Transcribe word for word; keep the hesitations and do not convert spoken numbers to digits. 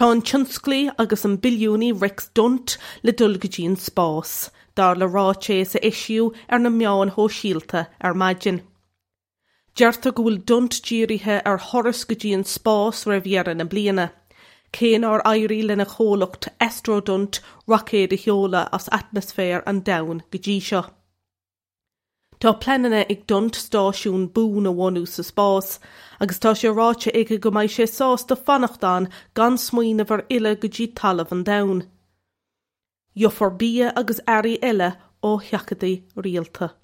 Tá an tionsclaí agus an billiúnaí Rex Dunt le dul go dtí an spás, dar le ráiteas a eisíodh ar na meáin shóisialta ar maidin. Deirtear go bhfuil Dunt dírithe ar thuras go dtí an spás roimh dheireadh na bliana, cé nár éirigh lena chomhlacht Astrodunt roicéad a sheoladh as atmaisféar an domhain go dtí seo. Tá pleananna ag Dunt stáisiún buan a bhunú sa spás, agus tá sé ráite aige go mbeidh sé sásta fanacht ann gan smaoineamh ar fhilleadh go dtí talamh an domhain. Gheofar bia agus earraí eile ó sheachadaí rialta.